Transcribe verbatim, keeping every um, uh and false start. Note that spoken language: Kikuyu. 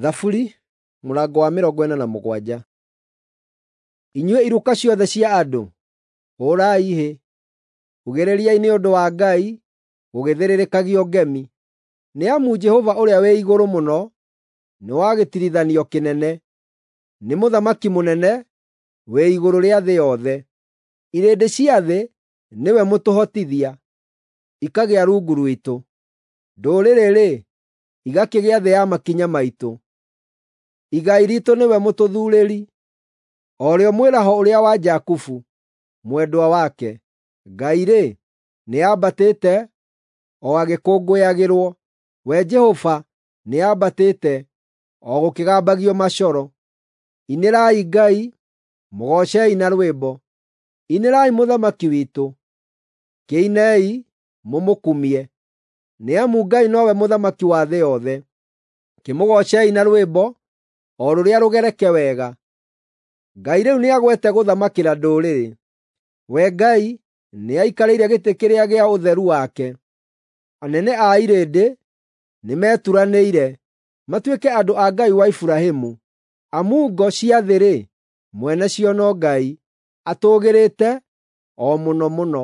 Thaburi mũrango wa mĩrongo ĩna na mũgwanja. Inyuĩ iruka ciothe cia andũ, hũũrai hĩ, ugĩrĩriai nĩ ũndũ wa Ngai gũgĩthĩrĩrĩkagio ngemi. Nĩ amu Jehova ũrĩa wĩ igũrũ mũno nĩ wa gĩtirithanio kĩnene, nĩ mũthamaki mũnene wĩ igũrũ rĩa thĩ yothe. Irĩndĩ cia thĩ nĩwe mũtũhotithia, ikagĩa rungu rwitũ. Ndũrĩrĩ-rĩ, igakĩgĩa thĩ ya makinya maitũ. Igai riitũ nĩwe mũtũthuurĩri, o rĩo mwĩraho ũrĩa wa Jakubu, mwendwa wake. Ngai-rĩ, nĩambatĩte o agĩkũngũyagĩrwo, we Jehova nĩambatĩte o gũkĩgambagio macoro. Inĩrai Ngai, mũgoocei na rwĩmbo, inĩrai Mũthamaki witũ, kĩinei mũmũkumie. Nĩ amu Ngai nowe Mũthamaki wa thĩ yothe, kĩmũgoocei na rwĩmbo o rũrĩa rũgereke wega. Ngai rĩu nĩagwete gũthamakĩra ndũrĩrĩ. We Ngai nĩaikarĩire gĩtĩ kĩrĩa gĩa ũtheru wake. Anene a irĩndĩ nĩmeturanĩire matuĩke andũ a Ngai wa Iburahĩmu, amu ngo cia thĩ-rĩ, mwene cio no Ngai, atũũgĩrĩte o mũno mũno.